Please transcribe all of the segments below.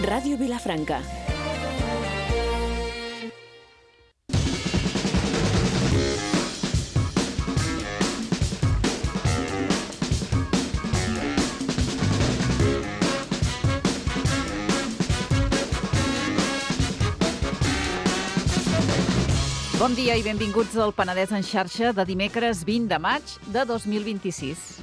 Ràdio Vilafranca. Bon dia i benvinguts al Penedès en xarxa de dimecres 20 de maig de 2026.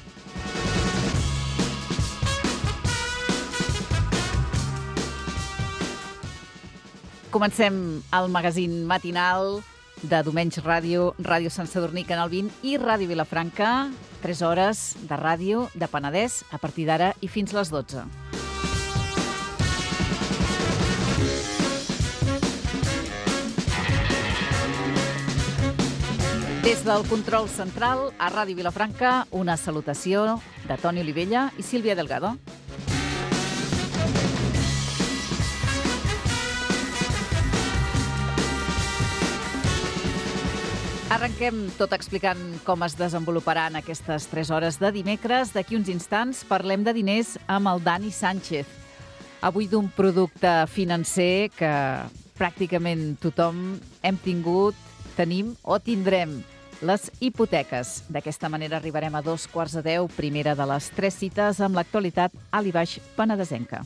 Comencem el magazín matinal de Domenys Ràdio, Ràdio Sant Sadurní, Canal 20 i Ràdio Vilafranca. 3 hores de ràdio de Penedès a partir d'ara i fins les 12. Des del control central a Ràdio Vilafranca, una salutació de Toni Olivella i Sílvia Delgado. Arrenquem tot explicant com es desenvoluparan aquestes 3 hores de dimecres. D'aquí uns instants parlem de diners amb el Dani Sánchez. Avui d'un producte financer que pràcticament tothom hem tingut, tenim o tindrem. Les hipoteques. D'aquesta manera arribarem a 9:45, primera de les 3 cites amb l'actualitat alt i baix penedesenca.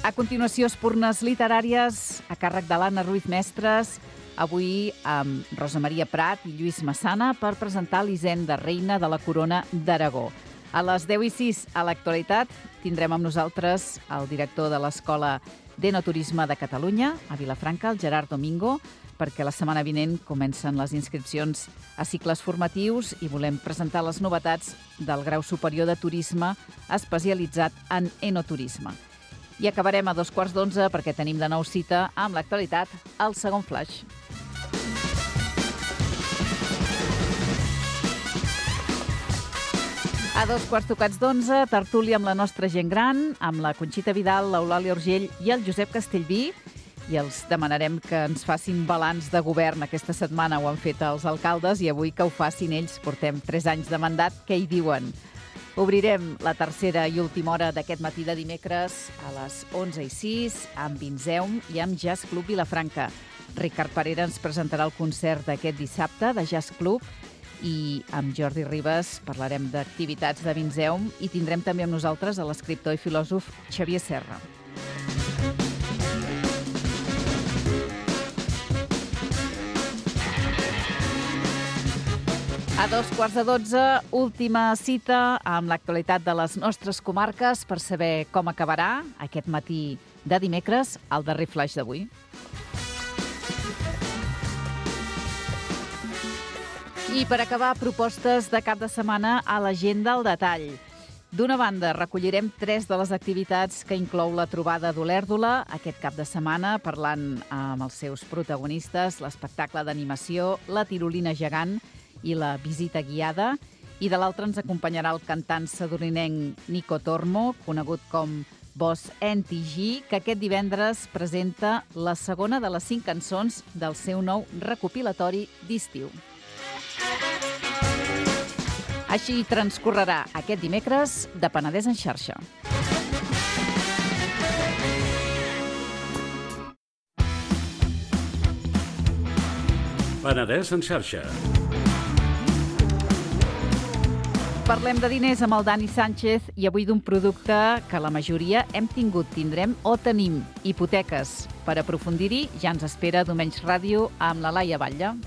A continuació, espurnes literàries a càrrec de l'Anna Ruiz Mestres, avui amb Rosa Maria Prat i Lluís Massana per presentar l'Hisenda Reina de la Corona d'Aragó. A les 10:06 a l'actualitat tindrem amb nosaltres el director de l'Escola d'Enoturisme de Catalunya, a Vilafranca, el Gerard Domingo, perquè la setmana vinent comencen les inscripcions a cicles formatius i volem presentar les novetats del grau superior de turisme especialitzat en enoturisme. I acabarem a 11:15 perquè tenim de nou cita amb l'actualitat al segon flash. A 11:45, tertúlia amb la nostra gent gran, amb la Conxita Vidal, l'Eulàlia Urgell i el Josep Castellví, i els demanarem que ens facin balanç de govern. Aquesta setmana ho han fet els alcaldes i avui que ho facin ells. Portem 3 anys de mandat, què hi diuen? Obrirem la tercera i última hora d'aquest matí de dimecres a les 11:06 amb Vinzeum i amb Jazz Club Vilafranca. Ricard Parera ens presentarà el concert d'aquest dissabte de Jazz Club i amb Jordi Ribas parlarem d'activitats de Vinzeum i tindrem també amb nosaltres a l'escriptor i filòsof Xavier Serra. A 11:45, última cita amb l'actualitat de les nostres comarques per saber com acabarà aquest matí de dimecres el darrer flash d'avui. I per acabar, propostes de cap de setmana a l'agenda al detall. D'una banda, recollirem 3 de les activitats que inclou la trobada d'Olèrdola aquest cap de setmana, parlant amb els seus protagonistes, l'espectacle d'animació, la tirolina gegant i la visita guiada. I de l'altra ens acompanyarà el cantant sadurninenc Nico Tormo, conegut com Boss NTG, que aquest divendres presenta la segona de les 5 cançons del seu nou recopilatori d'estiu. Així transcorrerà aquest dimecres de Penedès en xarxa. Penedès en xarxa. Parlem de diners amb el Dani Sánchez i avui d'un producte que la majoria hem tingut, tindrem o tenim, hipoteques. Per aprofundir-hi ja ens espera Domenys Ràdio amb la Laia Batlle.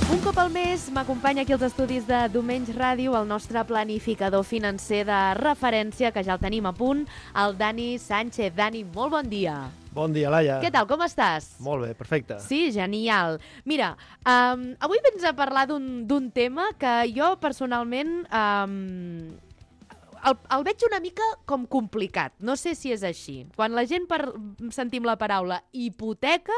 Un cop al mes m'acompanya aquí als estudis de Domenys Ràdio el nostre planificador financer de referència, que ja el tenim a punt, el Dani Sánchez. Dani, molt bon dia. Bon dia, Laia. Què tal, com estàs? Molt bé, perfecte. Sí, genial. Mira, avui vens a parlar d'un tema que jo personalment el veig una mica com complicat. No sé si és així. Quan la gent sentim la paraula hipoteca,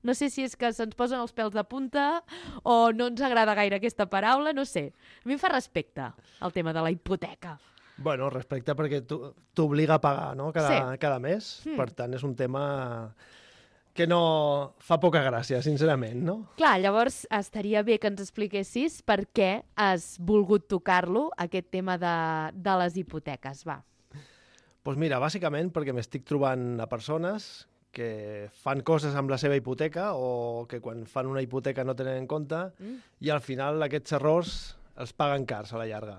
no sé si és que se'ns posen els pèls de punta o no ens agrada gaire aquesta paraula, no sé. A mi em fa respecte el tema de la hipoteca. Bueno, respecte perquè t'obliga a pagar, no? Cada mes. Per tant, és un tema que no fa poca gràcia, sincerament, no? Clar, llavors estaria bé que ens expliquessis per què has volgut tocar-lo, aquest tema de les hipoteques, va. Doncs mira, bàsicament perquè m'estic trobant a persones que fan coses amb la seva hipoteca o que quan fan una hipoteca no tenen en compte i al final aquests errors els paguen cars a la llarga.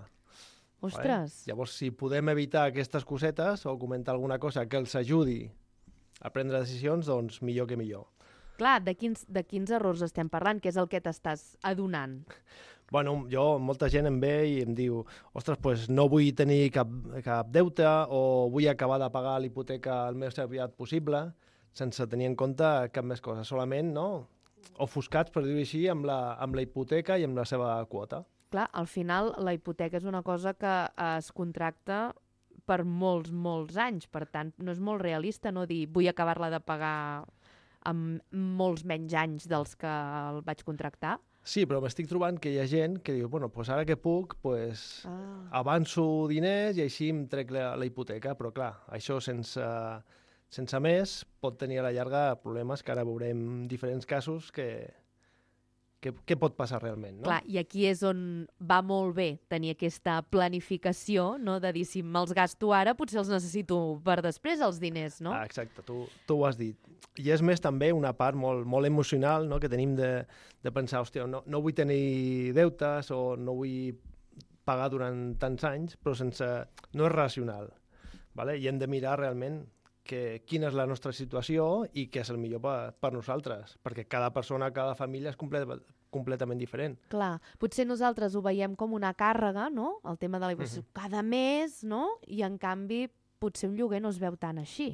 Ostres! Vale? Llavors, si podem evitar aquestes cosetes o comentar alguna cosa que els ajudi a prendre decisions, doncs millor que millor. Clar, de quins errors estem parlant? Què és el que t'estàs adonant? Bueno, molta gent em ve i em diu ostres, pues no vull tenir cap deute o vull acabar de pagar l'hipoteca el més aviat possible, sense tenir en compte cap més cosa, solament, no?, ofuscats, per dir-ho així, amb la hipoteca i amb la seva quota. Clar, al final la hipoteca és una cosa que es contracta per molts, molts anys. Per tant, no és molt realista no dir vull acabar-la de pagar amb molts menys anys dels que el vaig contractar. Sí, però m'estic trobant que hi ha gent que diu, bueno, pues ara que puc, pues avanço diners i així em trec la hipoteca, però clar, això sense més pot tenir a la llarga problemes que ara veurem diferents casos què pot passar realment, no? Clar, i aquí és on va molt bé tenir aquesta planificació, no?, de dir, si me'ls gasto ara, potser els necessito per després, els diners, no? Exacte, tu ho has dit. I és més també una part molt, molt emocional, no?, que tenim de pensar, hòstia, no vull tenir deutes o no vull pagar durant tants anys, però no és racional, vale? I hem de mirar realment quina és la nostra situació i què és el millor per nosaltres, perquè cada persona, cada família és completament diferent. Clar, potser nosaltres ho veiem com una càrrega, no?, el tema de la hipoteca, cada mes, no?, i en canvi potser un lloguer no es veu tan així,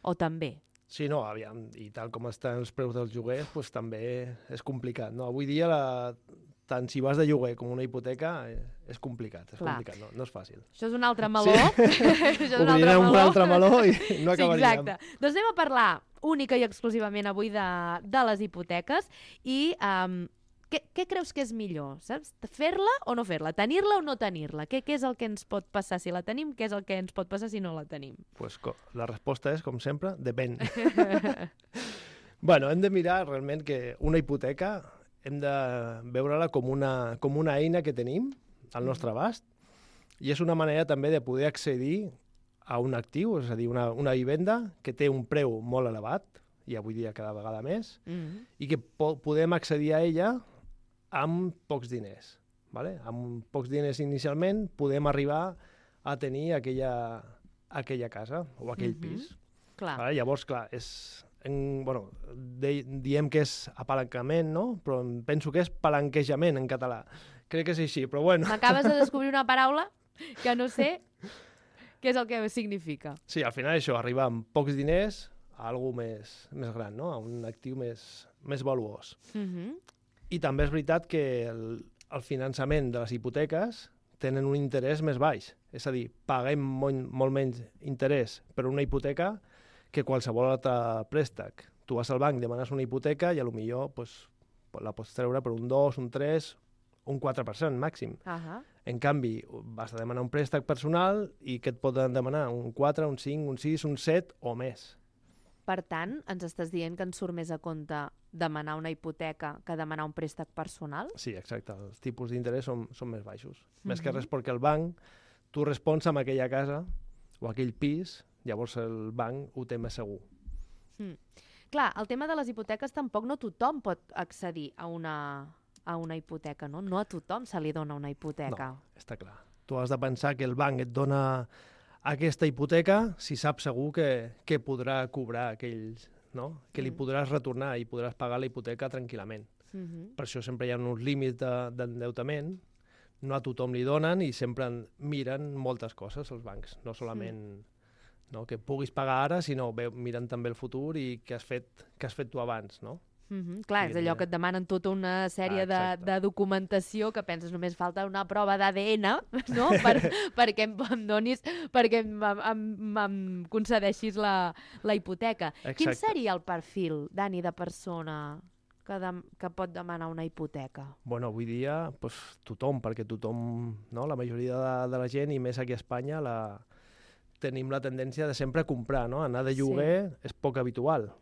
o també. Sí, no, aviam, i tal com estan els preus dels lloguers, doncs també és complicat, no? Avui dia tant si vas de lloguer com una hipoteca, és complicat, no és fàcil. Això és un altre meló. Sí. Obrirem un altre meló i no acabaríem. Sí, exacte. Doncs anem a parlar única i exclusivament avui de les hipoteques i què creus que és millor, saps? Fer-la o no fer-la? Tenir-la o no tenir-la? Què és el que ens pot passar si la tenim? Què és el que ens pot passar si no la tenim? Pues la resposta és, com sempre, depèn. Bueno, hem de mirar realment que una hipoteca hem de veure-la com una eina que tenim al nostre abast i és una manera també de poder accedir a un actiu, és a dir, una vivenda que té un preu molt elevat, i avui dia cada vegada més, i que podem accedir a ella amb pocs diners. Vale? Amb pocs diners inicialment podem arribar a tenir aquella casa o aquell pis. Clar. Vale? Llavors, clar, diem que és apalancament, no? Però penso que és palanquejament en català. Crec que és així, però bueno. M'acabes de descobrir una paraula que no sé què és el que significa. Sí, al final això, arribar amb pocs diners a algú més gran, no? A un actiu més valuós. I també és veritat que el finançament de les hipoteques tenen un interès més baix. És a dir, paguem molt menys interès per una hipoteca que qualsevol altre préstec. Tu vas al banc, demanes una hipoteca i potser la pots treure per un 2, un 3, un 4% màxim. En canvi, vas a demanar un préstec personal i què et poden demanar? Un 4, un 5, un 6, un 7 o més. Per tant, ens estàs dient que ens surt més a compte demanar una hipoteca que demanar un préstec personal? Sí, exacte. Els tipus d'interès són més baixos. Més que res perquè el banc, tu respons amb aquella casa o aquell pis, llavors el banc ho té més segur. Clar, el tema de les hipoteques tampoc no tothom pot accedir a una hipoteca, no? No a tothom se li dona una hipoteca. No, està clar. Tu has de pensar que el banc et dona aquesta hipoteca si sap segur que podrà cobrar aquells, no? Que li podràs retornar i podràs pagar la hipoteca tranquil·lament. Per això sempre hi ha uns límits d'endeutament, no a tothom li donen i sempre miren moltes coses els bancs, no solament que puguis pagar ara, sinó miren també el futur i què has fet tu abans, no? Clar, és allò que et demanen tota una sèrie de documentació que penses només falta una prova d'ADN, no? perquè em donis, perquè em concedeixis la hipoteca. Exacte. Quin seria el perfil, Dani, de persona que pot demanar una hipoteca? Bueno, avui dia tothom, perquè tothom, la majoria de la gent, i més aquí a Espanya, tenim la tendència de sempre comprar, no? Anar de lloguer és poc habitual.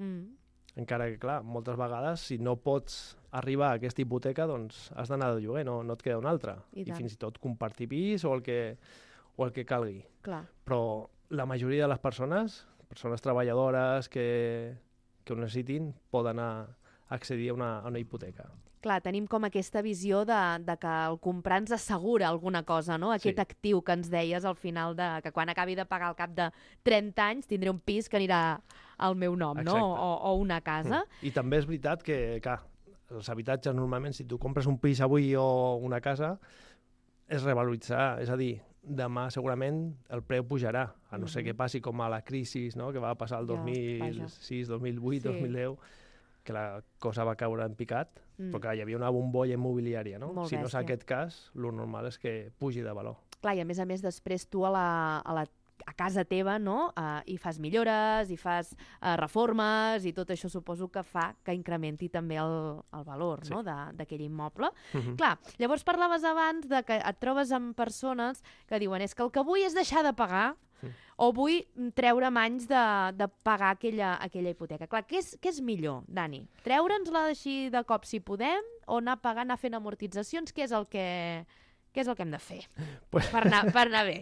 Encara que, clar, moltes vegades, si no pots arribar a aquesta hipoteca, doncs has d'anar de lloguer, no et queda una altra. I fins i tot compartir pis o el que calgui. Clar. Però la majoria de les persones treballadores que ho necessitin, poden accedir a una hipoteca. Clar, tenim com aquesta visió de que el comprar ens assegura alguna cosa, no? Aquest actiu que ens deies al final, que quan acabi de pagar al cap de 30 anys tindré un pis que anirà al meu nom, no? O una casa. I també és veritat que, clar, els habitatges normalment, si tu compres un pis avui o una casa, és revaloritzar, és a dir, demà segurament el preu pujarà, a no ser que passi com a la crisi, no?, que va passar el 2006, 2008, 2010, que la cosa va caure en picat, però clar, hi havia una bombolla immobiliària, no? Si no és aquest cas, el normal és que pugi de valor. Clar, i a més, després tu a casa teva, no?, hi fas millores, hi fas reformes, i tot això suposo que fa que incrementi també el valor, no?, d'aquell immoble. Clar, llavors parlaves abans de que et trobes amb persones que diuen és que el que vull és deixar de pagar o vull treure'm anys de pagar aquella hipoteca. Clar, què és millor, Dani? Treure'ns-la així de cop si podem o anar pagant, anar fent amortitzacions? Què és el que hem de fer per anar bé?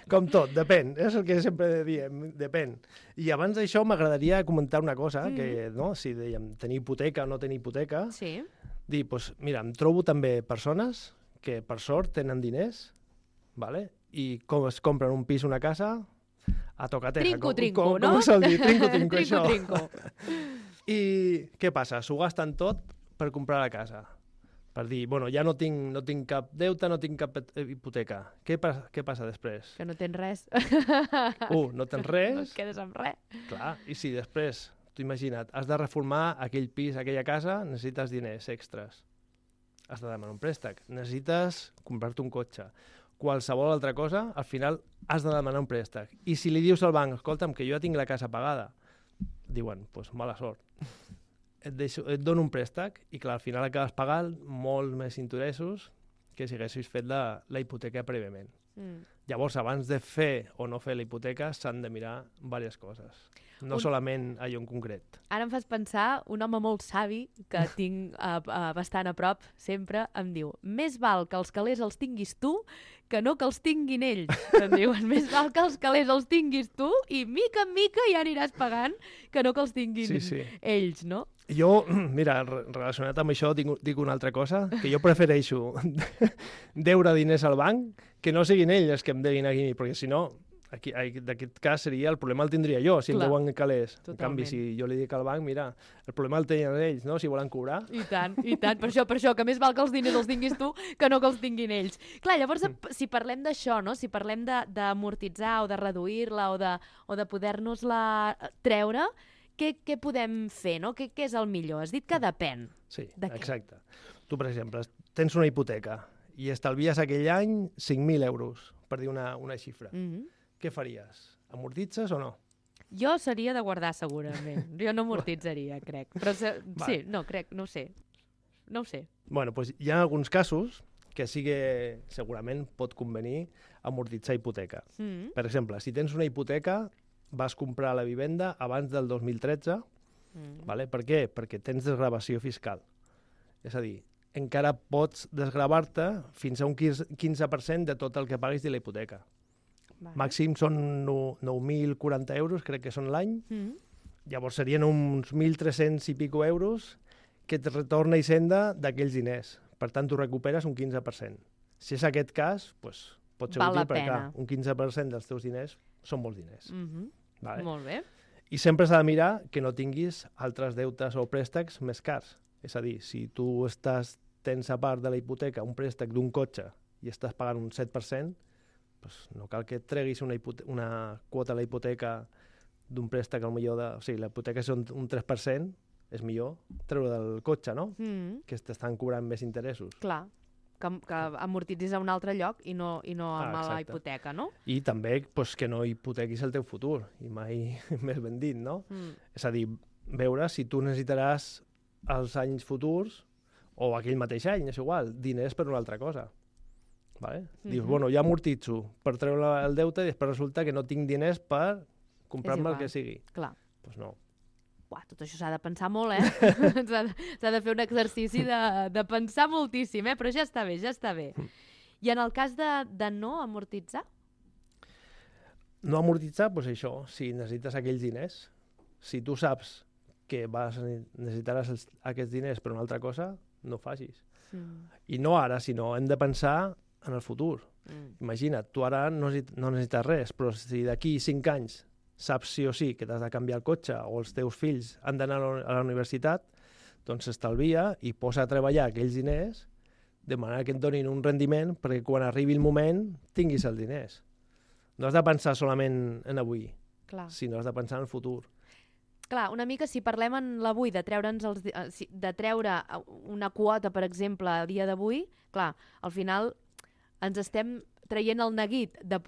Com tot, depèn. És el que sempre diem, depèn. I abans d'això m'agradaria comentar una cosa, que no, si dèiem tenir hipoteca o no tenir hipoteca, dir, doncs, mira, em trobo també persones que per sort tenen diners, ¿vale? I com es compren un pis o una casa, a tocateja. Trinco, no? Com es sol dir? Trinco, això. Trinco. I què passa? S'ho gasten tot per comprar la casa. Per dir, bueno, ja no tinc cap deute, no tinc cap hipoteca. Què passa després? Que no tens res. No tens res. No et quedes amb res. Clar, i si després, tu imagina't, has de reformar aquell pis, aquella casa, necessites diners extras. Has de demanar un préstec. Necessites comprar-te un cotxe. Qualsevol altra cosa, al final has de demanar un préstec. I si li dius al banc, escolta'm, que jo ja tinc la casa pagada, diuen, doncs mala sort. Et dono un préstec i, clar, al final acabes pagant molt més interessos que si haguessis fet la hipoteca prèviament. Llavors, abans de fer o no fer la hipoteca, s'han de mirar diverses coses. No solament allò en concret. Ara em fas pensar, un home molt savi, que tinc bastant a prop, sempre em diu, més val que els calés els tinguis tu que no que els tinguin ells. Em diuen, més val que els calés els tinguis tu i mica en mica ja aniràs pagant que no que els tinguin ells, no? Jo, mira, relacionat amb això, dic una altra cosa, que jo prefereixo deure diners al banc que no siguin ells els que em deguin a mi, perquè si no, d'aquest cas seria, el problema el tindria jo, si em deuen calés. En canvi, si jo li dic al banc, mira, el problema el tenen ells, no?, si volen cobrar. I tant, per això, que més val que els diners els tinguis tu que no que els tinguin ells. Clar, llavors, si parlem d'això, no?, si parlem d'amortitzar o de reduir-la o de poder-nos-la treure, què podem fer, no? Què és el millor? Has dit que depèn. Sí, exacte. Tu, per exemple, tens una hipoteca i estalvies aquell any 5.000 euros, per dir una xifra. Què faries? Amortitzes o no? Jo seria de guardar, segurament. Jo no amortitzaria, crec. Però sí, no, crec, no ho sé. No ho sé. Bueno, doncs hi ha alguns casos que sí que segurament pot convenir amortitzar hipoteca. Per exemple, si tens una hipoteca, vas comprar la vivenda abans del 2013, vale? Per què? Perquè tens desgravació fiscal. És a dir, encara pots desgravar-te fins a un 15% de tot el que paguis de la hipoteca. Màxim són 9.040 euros, crec que són l'any. Llavors serien uns 1.300 i pico euros que et retorna Hisenda d'aquells diners. Per tant, tu recuperes un 15%. Si és aquest cas, doncs, pot ser útil perquè un 15% dels teus diners són molts diners. Vale? Molt bé. I sempre s'ha de mirar que no tinguis altres deutes o préstecs més cars. És a dir, si tu tens a part de la hipoteca un préstec d'un cotxe i estàs pagant un 7%, doncs no cal que et treguis una quota a la hipoteca d'un préstec, la hipoteca és un 3%, és millor treure del cotxe, no? Que t'estan cobrant més interessos. Clar, que amortitzis a un altre lloc i no amb la hipoteca, no? I també que no hipotequis el teu futur, i mai més ben dit, no? És a dir, veure si tu necessitaràs els anys futurs o aquell mateix any, és igual, diners per una altra cosa. Vale? Dius, bueno, ja amortitzo per treure el deute i després resulta que no tinc diners per comprar-me el que sigui. Clar. Doncs no. Uah, tot això s'ha de pensar molt, s'ha de fer un exercici de pensar moltíssim, però ja està bé, ja està bé. I en el cas de no amortitzar? No amortitzar, doncs això, si necessites aquells diners, si tu saps que necessitaràs aquests diners per una altra cosa, no ho facis. I no ara, sinó hem de pensar en el futur. Imagina't, tu ara no necessites res, però si d'aquí 5 anys saps sí o sí que t'has de canviar el cotxe o els teus fills han d'anar a la universitat, doncs s'estalvia i posa a treballar aquells diners de manera que et donin un rendiment perquè quan arribi el moment tinguis els diners. No has de pensar solament en avui, sinó has de pensar en el futur. Clar, una mica si parlem en l'avui, de treure una quota, per exemple, a dia d'avui, clar, al final ens estem traient el neguit de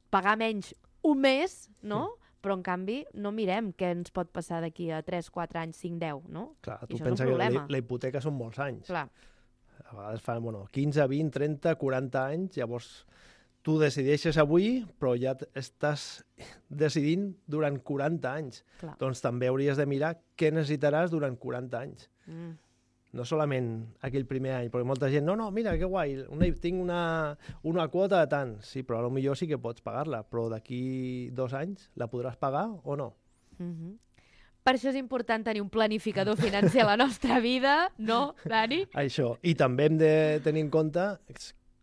pagar menys un mes, no? Però, en canvi, no mirem què ens pot passar d'aquí a 3, 4 anys, 5, 10, no? Clar, tu pensa que la hipoteca són molts anys. Clar. A vegades fan 15, 20, 30, 40 anys, llavors tu decideixes avui, però ja estàs decidint durant 40 anys. Clar. Doncs també hauries de mirar què necessitaràs durant 40 anys. No solament aquell primer any, perquè molta gent, no, mira, que guai, tinc una quota de tant. Sí, però potser sí que pots pagar-la, però d'aquí 2 anys la podràs pagar o no? Per això és important tenir un planificador financer a la nostra vida, no, Dani? Això. I també hem de tenir en compte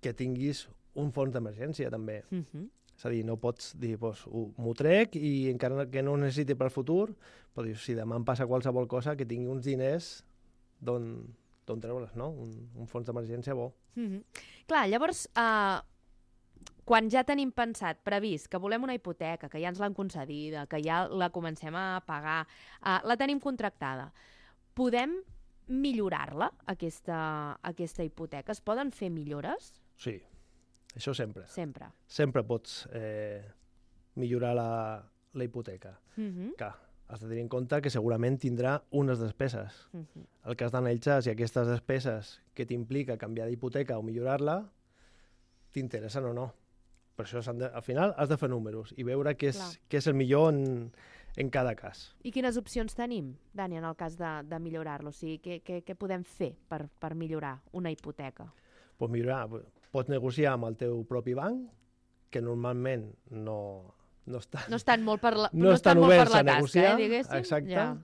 que tinguis un fons d'emergència, també. És a dir, no pots dir, m'ho trec i encara que no ho necessiti per al futur, però dir, si demà em passa qualsevol cosa, que tingui uns diners d'on treure's, no? Un fons d'emergència bo. Clar, llavors, quan ja tenim pensat, previst, que volem una hipoteca, que ja ens l'han concedida, que ja la comencem a pagar, la tenim contractada, podem millorar-la, aquesta hipoteca? Es poden fer millores? Sí, això sempre. Sempre. Sempre pots millorar la hipoteca. Clar, has de tenir en compte que segurament tindrà unes despeses. El que has d'analitzar si aquestes despeses que t'implica canviar d'hipoteca o millorar-la t'interessen o no. Per això al final has de fer números i veure què és el millor en cada cas. I quines opcions tenim, Dani, en el cas de millorar-lo? O sigui, què podem fer per millorar una hipoteca? Pots millorar, pots negociar amb el teu propi banc, que normalment no estan molt per la tasca, diguéssim. Exacte. Ja.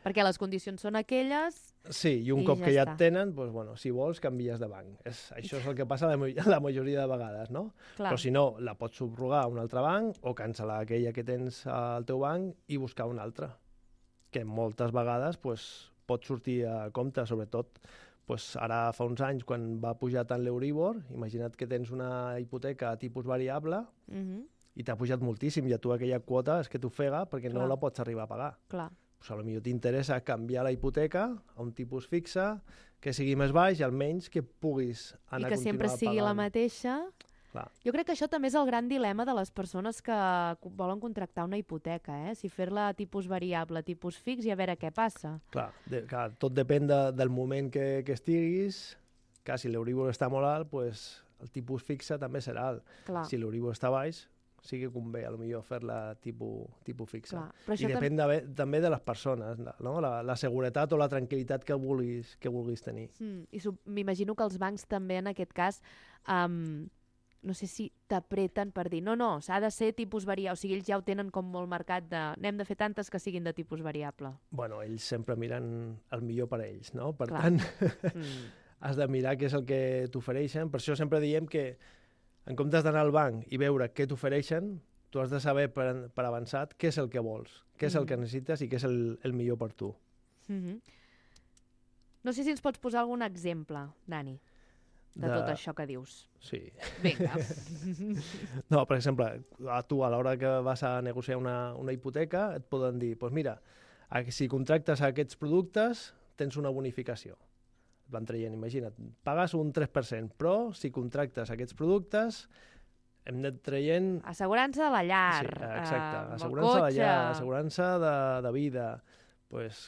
Perquè les condicions són aquelles... Sí, i un cop que ja et tenen, si vols, canvies de banc. Això és el que passa la majoria de vegades, no? Clar. Però si no, la pots subrogar a un altre banc o cancel·lar aquella que tens al teu banc i buscar una altra, que moltes vegades pot sortir a compte, sobretot ara fa uns anys, quan va pujar tant l'Euribor, imagina't que tens una hipoteca a tipus variable i t'ha pujat moltíssim i a tu aquella quota és que t'ofega perquè no la pots arribar a pagar. Clar. Potser t'interessa canviar la hipoteca a un tipus fixe, que sigui més baix i almenys que puguis anar a continuar pagant. I que sempre sigui la mateixa. Clar. Jo crec que això també és el gran dilema de les persones que volen contractar una hipoteca, si fer-la a tipus variable, a tipus fix i a veure què passa. Clar, tot depèn del moment que estiguis. Clar, si l'Euribor està molt alt, el tipus fixe també serà alt. Clar. Si l'Euribor està baix, sí que convé potser fer-la tipus fixa. I depèn també de les persones, no? La seguretat o la tranquil·litat que vulguis tenir. I m'imagino que els bancs també en aquest cas no sé si t'apreten per dir no, s'ha de ser tipus variable, o sigui, ells ja ho tenen com molt marcat n'hem de fer tantes que siguin de tipus variable. Bueno, ells sempre miren el millor per a ells, no? Per tant, has de mirar què és el que t'ofereixen. Per això sempre diem que en comptes d'anar al banc i veure què t'ofereixen, tu has de saber per avançat què és el que vols, què és el que necessites i què és el millor per tu. No sé si ens pots posar algun exemple, Dani, de tot això que dius. Sí. Vinga. No, per exemple, tu a l'hora que vas a negociar una hipoteca et poden dir, mira, si contractes aquests productes tens una bonificació. Et van traient, imagina't, pagues un 3%, però si contractes aquests productes hem anat traient... Assegurança de la llar, exacte, assegurança de la llar, assegurança de vida,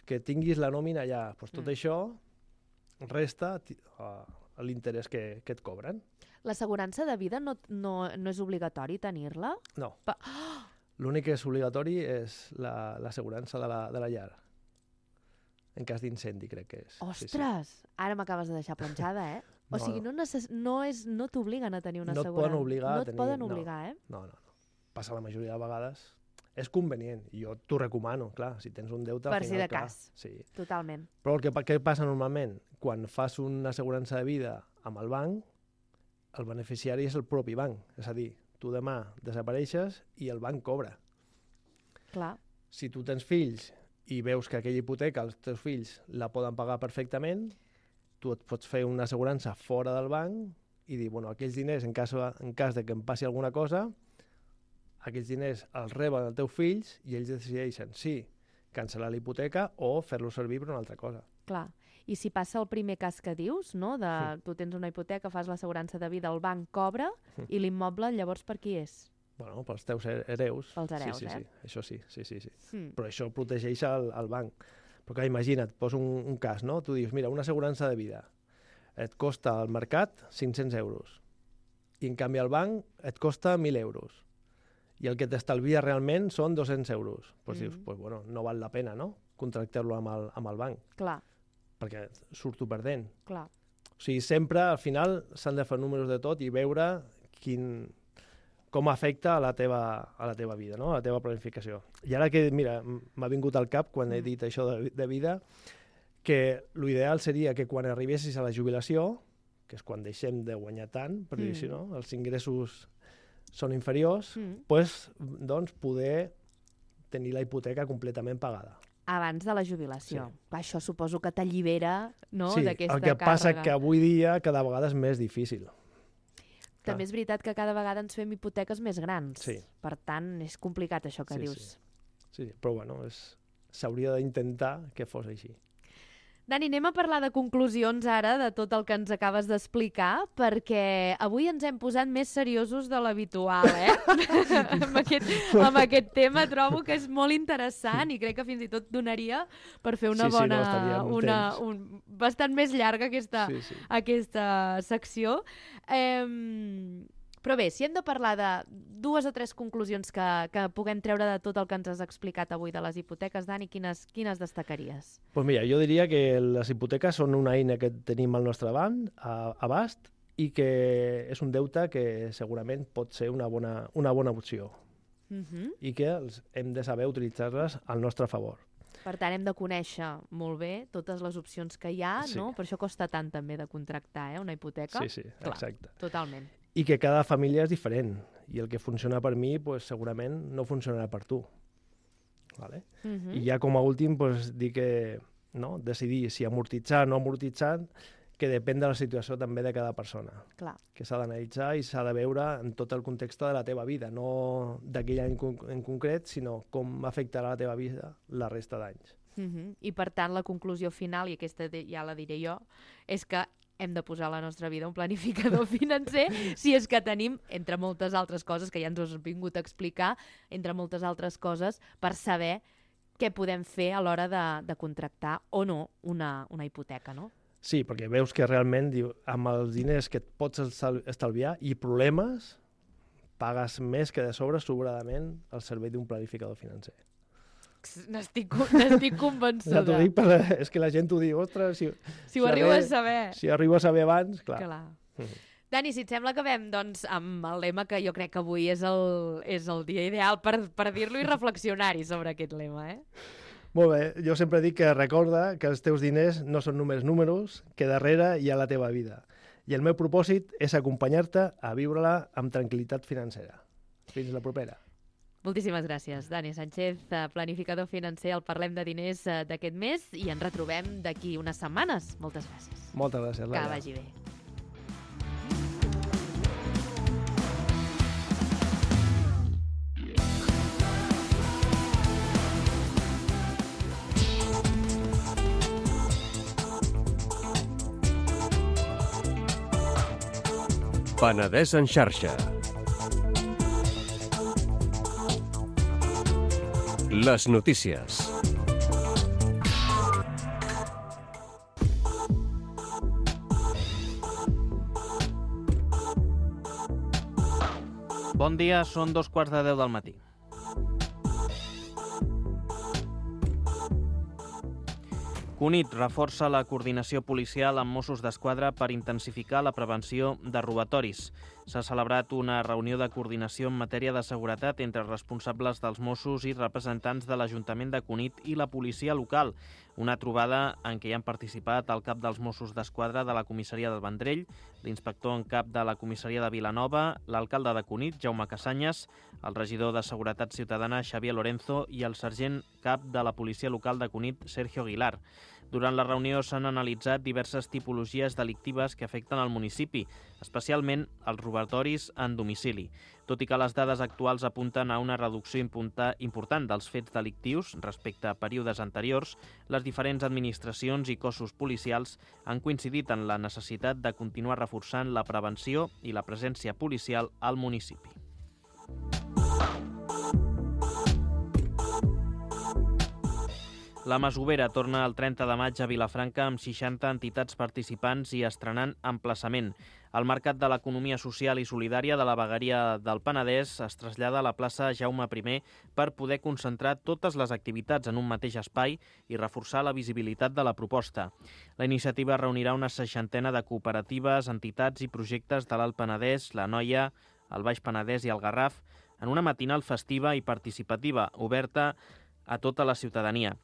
que tinguis la nòmina allà. Tot això resta l'interès que et cobren. L'assegurança de vida no és obligatori tenir-la? No. L'únic que és obligatori és l'assegurança de la llar. en cas d'incendi, crec que és. Ostres! Sí. Ara m'acabes de deixar planxada, eh? O sigui, no t'obliguen a tenir una assegurança. No et poden obligar a tenir... No et poden obligar, eh? No. Passa la majoria de vegades. És convenient, i jo t'ho recomano, clar, si tens un deute... Per si de clar, cas, sí. Totalment. Però què passa normalment? Quan fas una assegurança de vida amb el banc, el beneficiari és el propi banc. És a dir, tu demà desapareixes i el banc cobra. Clar. Si tu tens fills i veus que aquella hipoteca els teus fills la poden pagar perfectament, tu et pots fer una assegurança fora del banc i dir, bueno, aquells diners, en cas de que em passi alguna cosa, aquells diners els reben els teus fills i ells decideixen si cancel·lar la hipoteca o fer-lo servir per una altra cosa. Clar. I si passa el primer cas que dius, no? Tu tens una hipoteca, fas l'assegurança de vida, el banc cobra i l'immoble llavors per qui és? Bueno, pels teus hereus. Pels hereus, sí. Això sí. Però això protegeix el banc. Però clar, imagina't, posa un cas, no? Tu dius, mira, una assegurança de vida et costa al mercat 500 euros i en canvi al banc et costa 1.000 euros i el que t'estalvia realment són 200 euros. Doncs dius, bueno, no val la pena, no?, contractar-lo amb el banc. Clar. Perquè surto perdent. Clar. O sigui, sempre, al final, s'han de fer números de tot i veure com afecta a la teva vida, no?, a la teva planificació. I ara que, mira, m'ha vingut al cap, quan he dit això de vida, que l'ideal seria que quan arribessis a la jubilació, que és quan deixem de guanyar tant, per dir així, no?, els ingressos són inferiors, doncs poder tenir la hipoteca completament pagada. Abans de la jubilació. Sí. Això suposo que t'allibera, no?, sí, d'aquesta càrrega. El que passa que avui dia cada vegada és més difícil. També és veritat que cada vegada ens fem hipoteques més grans. Sí. Per tant, és complicat això que dius. Sí, però bueno, s'hauria d'intentar que fos així. Dani, anem a parlar de conclusions ara de tot el que ens acabes d'explicar, perquè avui ens hem posat més seriosos de l'habitual, eh? amb aquest tema trobo que és molt interessant i crec que fins i tot donaria per fer una bastant més llarga aquesta secció. Però bé, si hem de parlar de 2 o 3 conclusions que puguem treure de tot el que ens has explicat avui de les hipoteques, Dani, quines destacaries? Doncs mira, jo diria que les hipoteques són una eina que tenim al nostre abast i que és un deute que segurament pot ser una bona opció i que hem de saber utilitzar-les al nostre favor. Per tant, hem de conèixer molt bé totes les opcions que hi ha, no? Per això costa tant també de contractar una hipoteca. Sí, exacte. Clar, totalment. I que cada família és diferent i el que funciona per mi segurament no funcionarà per tu. Vale? I ja com a últim dir que decidir si amortitzar o no amortitzar, que depèn de la situació també de cada persona. Clar. Que s'ha d'analitzar i s'ha de veure en tot el context de la teva vida, no d'aquell any en concret, sinó com afectarà la teva vida la resta d'anys. I per tant la conclusió final, i aquesta ja la diré jo, és que hem de posar a la nostra vida un planificador financer si és que tenim, entre moltes altres coses que ja ens has vingut a explicar, entre moltes altres coses, per saber què podem fer a l'hora de contractar o no una hipoteca, no? Sí, perquè veus que realment amb els diners que et pots estalviar i problemes, pagues més que de sobradament el servei d'un planificador financer. N'estic convençuda. Ja t'ho dic, és que la gent t'ho diu, ostres, si ho arribo a saber. Si arribo a saber abans, clar. Dani, si et sembla que acabem doncs, amb el lema que jo crec que avui és el dia ideal per dir-lo i reflexionar-hi sobre aquest lema, eh? Molt bé, jo sempre dic que recorda que els teus diners no són només números, que darrere hi ha la teva vida. I el meu propòsit és acompanyar-te a viure-la amb tranquil·litat financera. Fins la propera. Moltíssimes gràcies, Dani Sánchez, planificador financer al Parlem de Diners d'aquest mes i ens retrobem d'aquí unes setmanes. Moltes gràcies. Moltes gràcies, Laia. Que vagi bé. Penedès en xarxa. Les notícies. Bon dia, són 2:15 del matí. Cunit reforça la coordinació policial amb Mossos d'Esquadra per intensificar la prevenció de robatoris. S'ha celebrat una reunió de coordinació en matèria de seguretat entre responsables dels Mossos i representants de l'Ajuntament de Cunit i la policia local. Una trobada en què hi han participat el cap dels Mossos d'Esquadra de la comissaria del Vendrell, l'inspector en cap de la comissaria de Vilanova, l'alcalde de Cunit, Jaume Casanyes, el regidor de Seguretat Ciutadana, Xavier Lorenzo, i el sergent cap de la policia local de Cunit, Sergio Aguilar. Durant la reunió s'han analitzat diverses tipologies delictives que afecten el municipi, especialment els robatoris en domicili. Tot i que les dades actuals apunten a una reducció important dels fets delictius respecte a períodes anteriors, les diferents administracions i cossos policials han coincidit en la necessitat de continuar reforçant la prevenció i la presència policial al municipi. La Masovera torna el 30 de maig a Vilafranca amb 60 entitats participants i estrenant emplaçament. El Mercat de l'Economia Social i Solidària de la Vegueria del Penedès es trasllada a la plaça Jaume I per poder concentrar totes les activitats en un mateix espai i reforçar la visibilitat de la proposta. La iniciativa reunirà una 60ena de cooperatives, entitats i projectes de l'Alt Penedès, la Noia, el Baix Penedès i el Garraf en una matinal festiva i participativa, oberta a tota la ciutadania.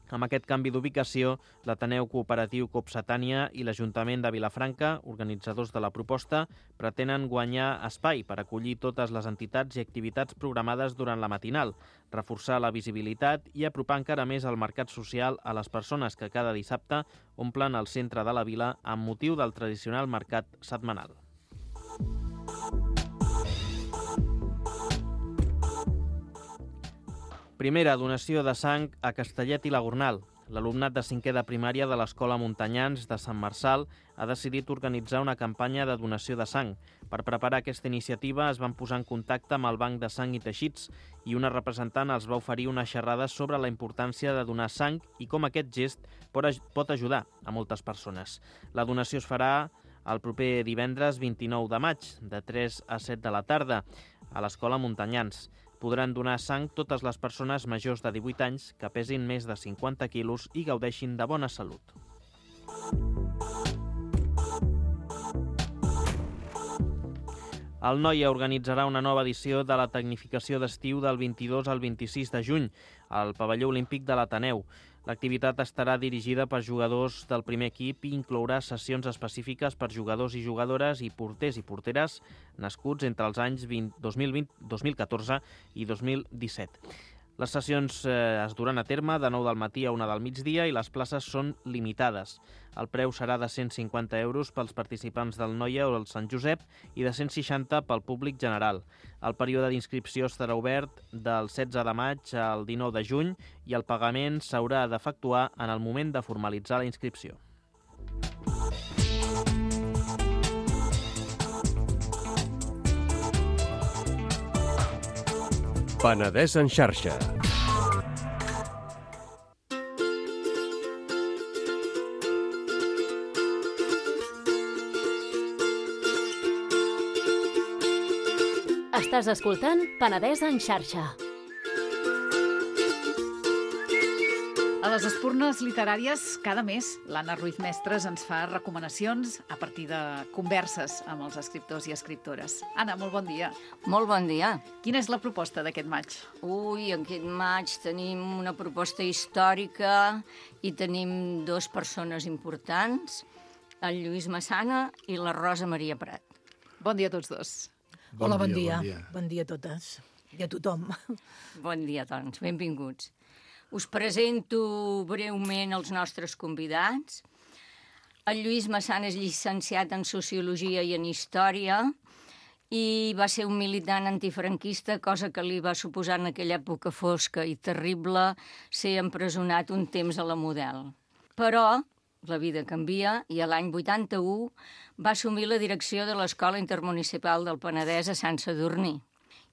Amb aquest canvi d'ubicació, l'Ateneu Cooperatiu Copsatània i l'Ajuntament de Vilafranca, organitzadors de la proposta, pretenen guanyar espai per acollir totes les entitats i activitats programades durant la matinal, reforçar la visibilitat i apropar encara més el mercat social a les persones que cada dissabte omplen el centre de la vila amb motiu del tradicional mercat setmanal. Primera donació de sang a Castellet i la Gornal. L'alumnat de 5è de primària de l'Escola Montanyans de Sant Marçal ha decidit organitzar una campanya de donació de sang. Per preparar aquesta iniciativa es van posar en contacte amb el Banc de Sang i Teixits i una representant els va oferir una xerrada sobre la importància de donar sang i com aquest gest pot ajudar a moltes persones. La donació es farà el proper divendres 29 de maig, de 3 a 7 de la tarda, a l'Escola Montanyans. Podran donar sang totes les persones majors de 18 anys que pesin més de 50 quilos i gaudeixin de bona salut. El Noia organitzarà una nova edició de la tecnificació d'estiu del 22 al 26 de juny al pavelló olímpic de l'Ateneu. L'activitat estarà dirigida per jugadors del primer equip i inclourà sessions específiques per jugadors i jugadores i porters i porteres nascuts entre els anys 2014 i 2017. Les sessions es duran a terme de 9 del matí a 1 del migdia i les places són limitades. El preu serà de 150 euros pels participants del Noia o el Sant Josep i de 160 pel públic general. El període d'inscripció estarà obert del 16 de maig al 19 de juny i el pagament s'haurà d'efectuar en el moment de formalitzar la inscripció. Penedès en xarxa. Estàs escoltant Penedès en xarxa. A les espurnes literàries, cada mes, l'Anna Ruiz Mestres ens fa recomanacions a partir de converses amb els escriptors i escriptores. Anna, molt bon dia. Molt bon dia. Quina és la proposta d'aquest maig? Ui, aquest maig tenim una proposta històrica i tenim dues persones importants, el Lluís Massana i la Rosa Maria Prat. Bon dia a tots dos. Hola, bon dia. Bon dia a totes i a tothom. Bon dia, doncs. Benvinguts. Us presento breument els nostres convidats. El Lluís Massana és llicenciat en Sociologia i en Història i va ser un militant antifranquista, cosa que li va suposar en aquella època fosca i terrible ser empresonat un temps a la Model. Però la vida canvia i l'any 81 va assumir la direcció de l'Escola Intermunicipal del Penedès a Sant Sadurní.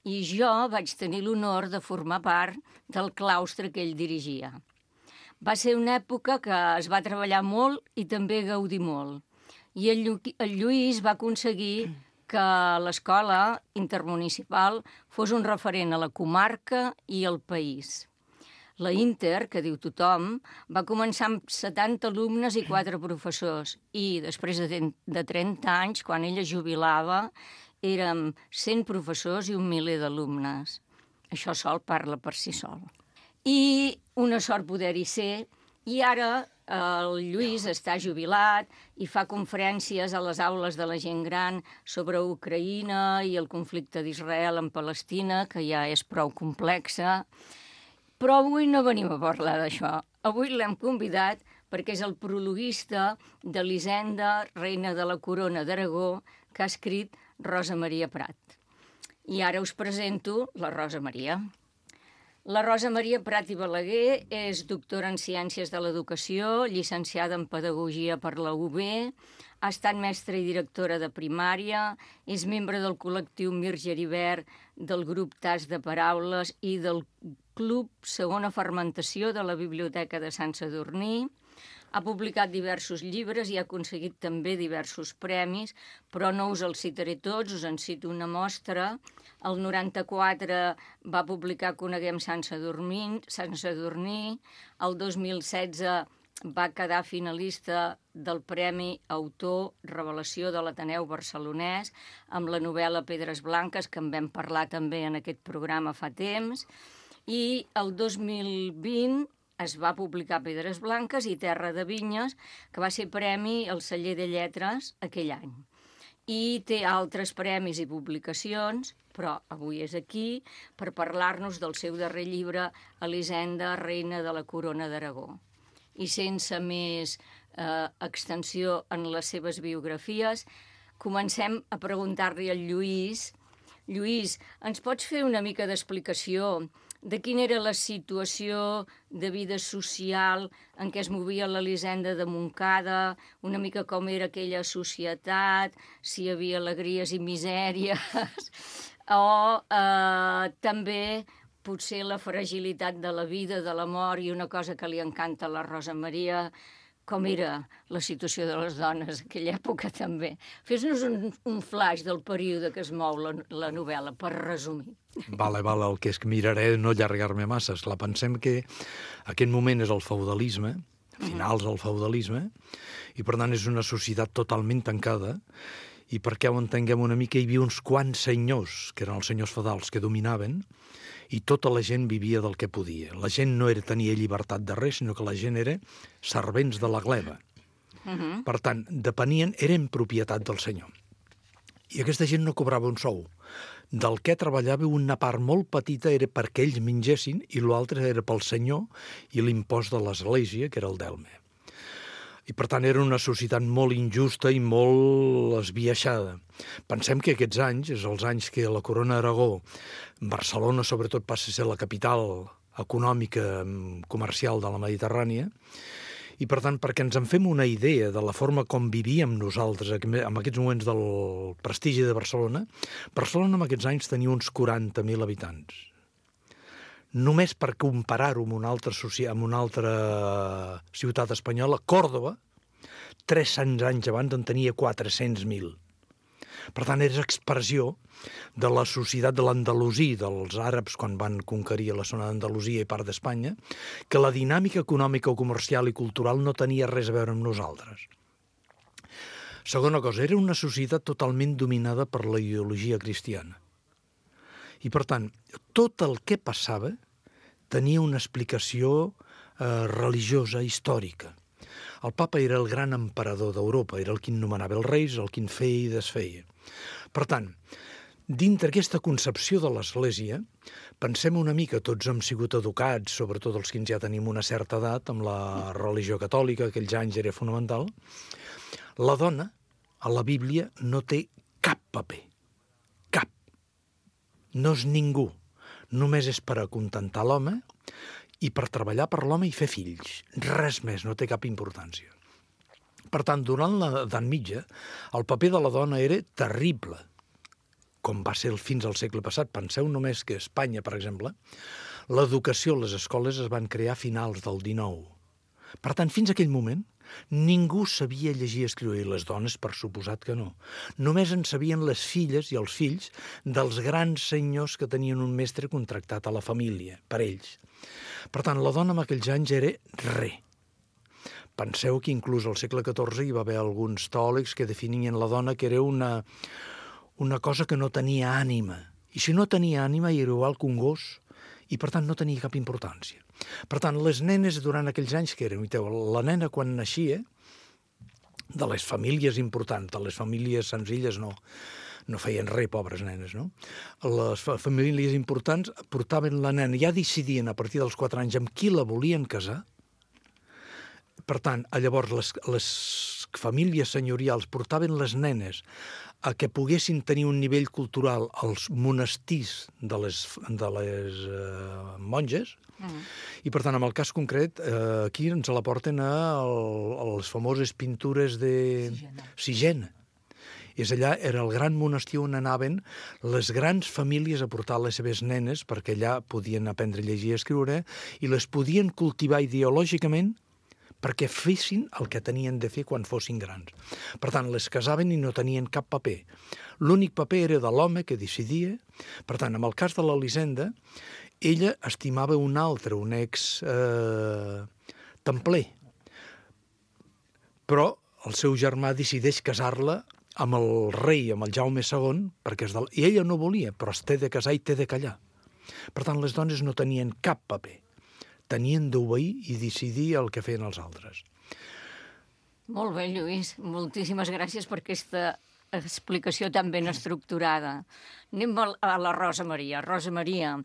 I jo vaig tenir l'honor de formar part del claustre que ell dirigia. Va ser una època que es va treballar molt i també gaudir molt. I el Lluís va aconseguir que l'escola intermunicipal fos un referent a la comarca i al país. La Inter, que diu tothom, va començar amb 70 alumnes i 4 professors. I després de 30 anys, quan ella jubilava, érem 100 professors i 1 miler d'alumnes. Això sol parla per si sol. I una sort poder-hi ser. I ara el Lluís està jubilat i fa conferències a les aules de la gent gran sobre Ucraïna i el conflicte d'Israel amb Palestina, que ja és prou complexa. Però avui no venim a parlar d'això. Avui l'hem convidat perquè és el prologuista d'Elisenda, reina de la Corona d'Aragó, que ha escrit Rosa Maria Prat. I ara us presento la Rosa Maria. La Rosa Maria Prat i Balaguer és doctora en Ciències de l'Educació, llicenciada en Pedagogia per la UB, ha estat mestra i directora de primària, és membre del col·lectiu Mir Geribert, del grup Tas de Paraules i del Club Segona Fermentació de la Biblioteca de Sant Sadurní. Ha publicat diversos llibres i ha aconseguit també diversos premis, però no us els citaré tots, us en cito una mostra. El 94 va publicar Coneguem Sant Sadurní, el 2016 va quedar finalista del Premi Autor Revelació de l'Ateneu Barcelonès amb la novel·la Pedres Blanques, que en vam parlar també en aquest programa fa temps, i el 2020 es va publicar Pedres Blanques i Terra de Vinyes, que va ser premi al Celler de Lletres aquell any. I té altres premis i publicacions, però avui és aquí per parlar-nos del seu darrer llibre, Elisenda, reina de la Corona d'Aragó. I sense més extensió en les seves biografies, comencem a preguntar-li al Lluís. Lluís, ens pots fer una mica d'explicació de quina era la situació de vida social en què es movia l'Elisenda de Montcada, una mica com era aquella societat, si hi havia alegries i misèries, o també potser la fragilitat de la vida, de la mort, i una cosa que li encanta a la Rosa Maria, com era la situació de les dones en aquella època també. Fes-nos un flash del període que es mou la novel·la, per resumir. Vale, el que és que miraré no allargar-me massa. Esclar, pensem que aquest moment és el feudalisme, finals del feudalisme, i per tant és una societat totalment tancada, i perquè ho entenguem una mica, hi havia uns quants senyors, que eren els senyors feudals, que dominaven, i tota la gent vivia del que podia. La gent no tenia llibertat de res, sinó que la gent era servents de la gleba. Per tant, eren propietat del senyor. I aquesta gent no cobrava un sou. Del que treballava una part molt petita era perquè ells mengessin i l'altre era pel senyor i l'impost de l'església, que era el delme. I per tant era una societat molt injusta i molt esbiaixada. Pensem que aquests anys, és els anys que la Corona d'Aragó, Barcelona sobretot passa a ser la capital econòmica comercial de la Mediterrània, i per tant perquè ens en fem una idea de la forma com vivíem nosaltres en aquests moments del prestigi de Barcelona, Barcelona en aquests anys tenia uns 40.000 habitants. Només per comparar-ho amb una altra ciutat espanyola, Còrdova, 300 anys abans en tenia 400.000. Per tant, és expressió de la societat de l'Andalusí, dels àrabs quan van conquerir la zona d'Andalusia i part d'Espanya, que la dinàmica econòmica, comercial i cultural no tenia res a veure amb nosaltres. Segona cosa, era una societat totalment dominada per la ideologia cristiana. I, per tant, tot el que passava tenia una explicació religiosa, històrica. El papa era el gran emperador d'Europa, era el qui nomenava els reis, el qui feia i desfeia. Per tant, dintre aquesta concepció de l'Església, pensem una mica, tots hem sigut educats, sobretot els que ja tenim una certa edat, amb la religió catòlica, aquells anys era fonamental, la dona, a la Bíblia, no té cap paper. Cap. No és ningú. Només és per acontentar l'home i per treballar per l'home i fer fills. Res més, no té cap importància. Per tant, durant l'edat mitja, el paper de la dona era terrible, com va ser fins al segle passat. Penseu només que a Espanya, per exemple, l'educació a les escoles es van crear a finals del XIX. Per tant, fins a aquell moment, Ningú sabia llegir i escriure, i les dones, per suposat que no. Només en sabien les filles i els fills dels grans senyors que tenien un mestre contractat a la família, per ells. Per tant, la dona en aquells anys era res. Penseu que inclús al segle XIV hi va haver alguns teòlegs que definien la dona que era una cosa que no tenia ànima. I si no tenia ànima era igual que un gos, i per tant no tenia cap importància. Per tant, les nenes durant aquells anys que eren, la nena quan naixia, de les famílies importants, de les famílies senzilles no feien res, pobres nenes, no? Les famílies importants portaven la nena, ja decidien a partir dels 4 anys amb qui la volien casar. Per tant, llavors les famílies senyorials portaven les nenes a que poguessin tenir un nivell cultural als monestirs de les monges, i per tant, en el cas concret, aquí ens la porten a les famoses pintures de Sigena. És allà, era el gran monestir on anaven les grans famílies a portar les seves nenes, perquè allà podien aprendre a llegir i escriure, i les podien cultivar ideològicament perquè fessin el que tenien de fer quan fossin grans. Per tant, les casaven i no tenien cap paper. L'únic paper era de l'home que decidia. Per tant, en el cas de l'Elisenda, ella estimava un altre, un ex-templer. Però el seu germà decideix casar-la amb el rei, amb el Jaume II, i ella no volia, però es té de casar i té de callar. Per tant, les dones no tenien cap paper. Tenien d'obeir i decidir el que feien els altres. Molt bé, Lluís. Moltíssimes gràcies per aquesta explicació tan ben estructurada. Anem a la Rosa Maria. Rosa Maria,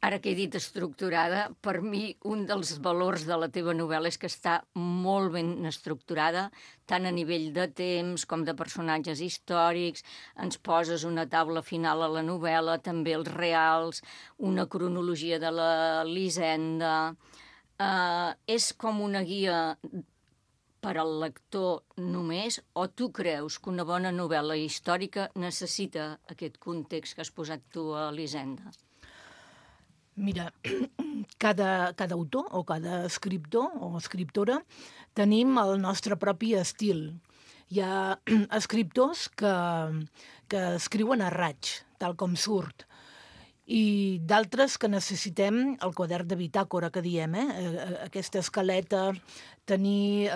ara que he dit estructurada, per mi un dels valors de la teva novel·la és que està molt ben estructurada, tant a nivell de temps com de personatges històrics. Ens poses una taula final a la novel·la, també els reals, una cronologia de l'Elisenda. És com una guia per al lector només, o tu creus que una bona novel·la històrica necessita aquest context que has posat tu a Elisenda? Mira, cada autor o cada escriptor o escriptora tenim el nostre propi estil. Hi ha escriptors que escriuen a raig, tal com surt, i d'altres que necessitem el quadern de bitàcora, que diem, aquesta escaleta, tenir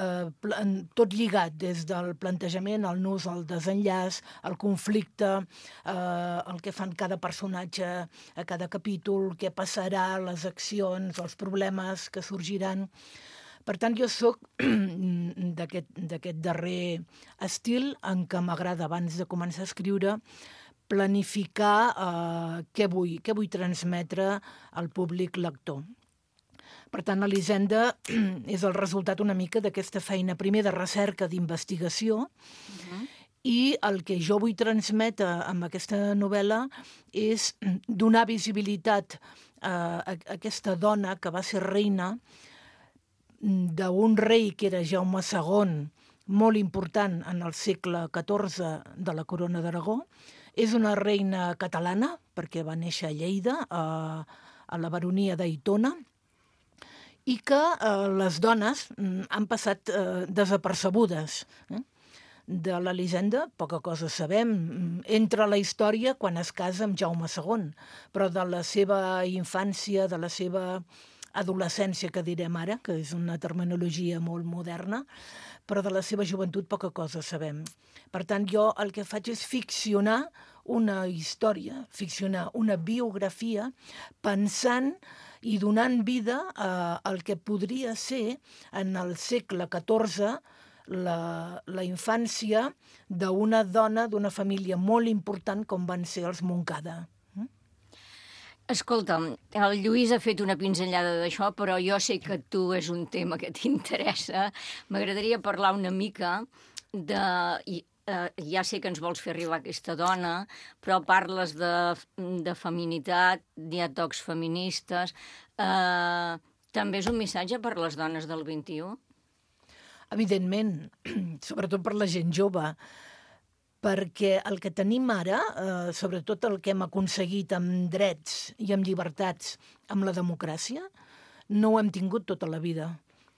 tot lligat des del plantejament, el nus, el desenllaç, el conflicte, el que fan cada personatge a cada capítol, què passarà, les accions, els problemes que sorgiran. Per tant, jo soc d'aquest darrer estil en què m'agrada, abans de començar a escriure, planificar què vull transmetre al públic lector. Per tant, Elisenda és el resultat una mica d'aquesta feina, primer de recerca, d'investigació, i el que jo vull transmetre amb aquesta novel·la és donar visibilitat a aquesta dona que va ser reina d'un rei que era Jaume II, molt important en el segle XIV de la Corona d'Aragó. És una reina catalana, perquè va néixer a Lleida, a la baronia d'Aitona, i que les dones han passat desapercebudes. De l'Elisenda poca cosa sabem. Entra a la història quan es casa amb Jaume II, però de la seva infància, de la seva adolescència, que direm ara, que és una terminologia molt moderna, però de la seva joventut poca cosa sabem. Per tant, jo el que faig és ficcionar una història, ficcionar una biografia, pensant i donant vida al que podria ser en el segle XIV la infància d'una dona d'una família molt important com van ser els Montcada. Escolta'm, el Lluís ha fet una pinzellada d'això, però jo sé que tu és un tema que t'interessa. M'agradaria parlar una mica de... Ja sé que ens vols fer arribar aquesta dona, però parles de feminitat, hi ha tocs feministes. També és un missatge per les dones del XXI? Evidentment, sobretot per la gent jove, perquè el que tenim ara, sobretot el que hem aconseguit amb drets i amb llibertats, amb la democràcia, no ho hem tingut tota la vida.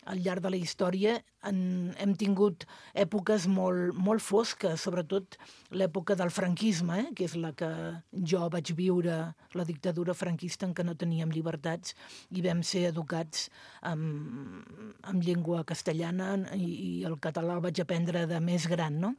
al llarg de la història hem tingut èpoques molt fosques, sobretot l'època del franquisme, que és la que jo vaig viure, la dictadura franquista en què no teníem llibertats i vam ser educats amb llengua castellana i el català el vaig aprendre de més gran, no?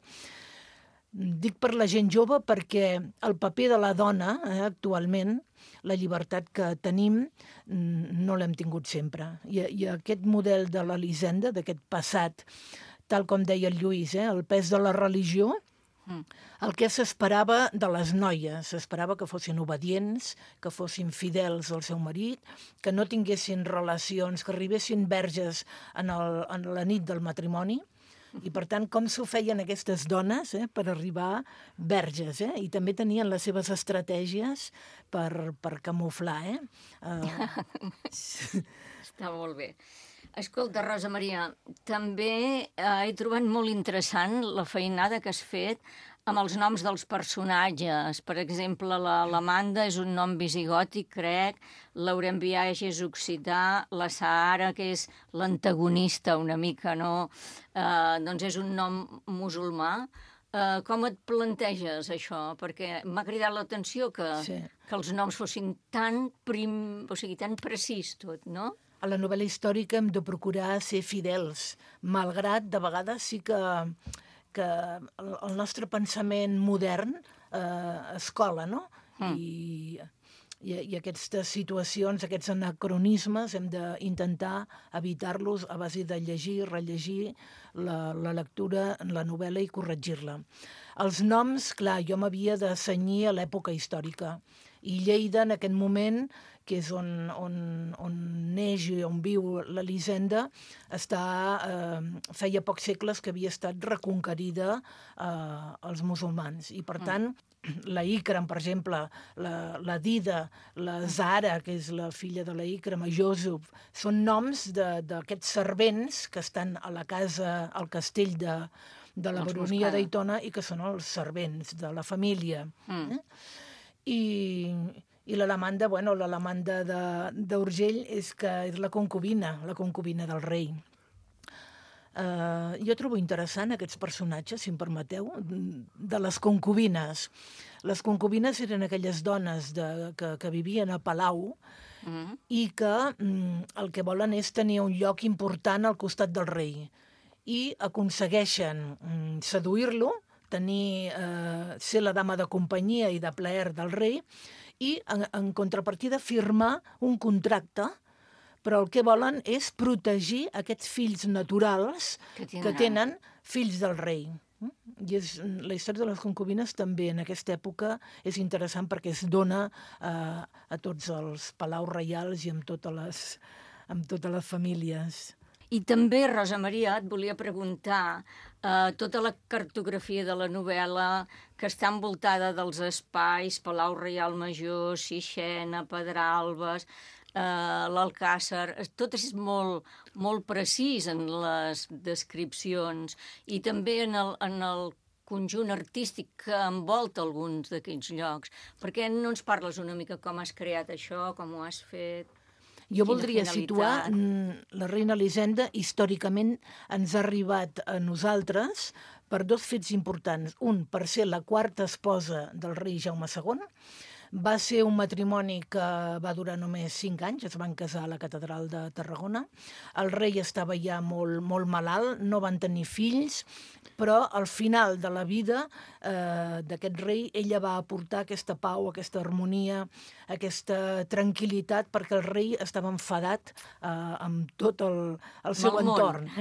Dic per la gent jove perquè el paper de la dona, actualment, la llibertat que tenim, no l'hem tingut sempre. I aquest model de l'Elisenda, d'aquest passat, tal com deia el Lluís, el pes de la religió, el que s'esperava de les noies, s'esperava que fossin obedients, que fossin fidels al seu marit, que no tinguessin relacions, que arribessin verges en la nit del matrimoni. I, per tant, com s'ho feien aquestes dones per arribar verges, i també tenien les seves estratègies per camuflar. Està molt bé. Escolta, Rosa Maria, també he trobat molt interessant la feinada que has fet amb els noms dels personatges. Per exemple, l'Amanda és un nom visigòtic, crec, l'Aurem Biaix és occità, la Sahara, que és l'antagonista una mica, no? Doncs és un nom musulmà. Com et planteges això? Perquè m'ha cridat l'atenció que els noms fossin tan precís tot, no? A la novel·la històrica hem de procurar ser fidels, malgrat de vegades sí que el nostre pensament modern es cola, no? I aquestes situacions, aquests anacronismes, hem d'intentar evitar-los a base de llegir, rellegir la lectura, la novel·la i corregir-la. Els noms, clar, jo m'havia de cenyir a l'època històrica. I Lleida, en aquest moment, que és on neix i on viu l'Elisenda, feia pocs segles que havia estat reconquerida als musulmans. I, per tant, la Ikram, per exemple, la Dida, la Zara, que és la filla de la Ikram, Joseph, són noms d'aquests servents que estan a la casa, al castell de la baronia d'Aitona i que són els servents de la família. I l'Alamanda, l'Alamanda d'Urgell és la concubina del rei. Jo trobo interessant aquests personatges, si em permeteu, de les concubines. Les concubines eren aquelles dones que vivien a palau i que el que volen és tenir un lloc important al costat del rei. I aconsegueixen seduir-lo, ser la dama de companyia i de plaer del rei, i, en contrapartida, firmar un contracte, però el que volen és protegir aquests fills naturals que tenen fills del rei. I la història de les concubines també en aquesta època és interessant perquè es dona a tots els palaus reials i amb totes les famílies. I també, Rosa Maria, et volia preguntar, tota la cartografia de la novel·la que està envoltada dels espais, Palau Reial Major, Sixena, Pedralbes, l'Alcàsser, tot és molt precís en les descripcions i també en el conjunt artístic que envolta alguns d'aquests llocs. Per què no ens parles una mica com has creat això, com ho has fet? Jo voldria situar la reina Elisenda, històricament ens ha arribat a nosaltres per dos fets importants. Un, per ser la quarta esposa del rei Jaume II. Va ser un matrimoni que va durar només 5 anys, es van casar a la catedral de Tarragona. El rei estava ja molt malalt, no van tenir fills, però al final de la vida d'aquest rei ella va aportar aquesta pau, aquesta harmonia, aquesta tranquil·litat, perquè el rei estava enfadat amb tot el seu entorn.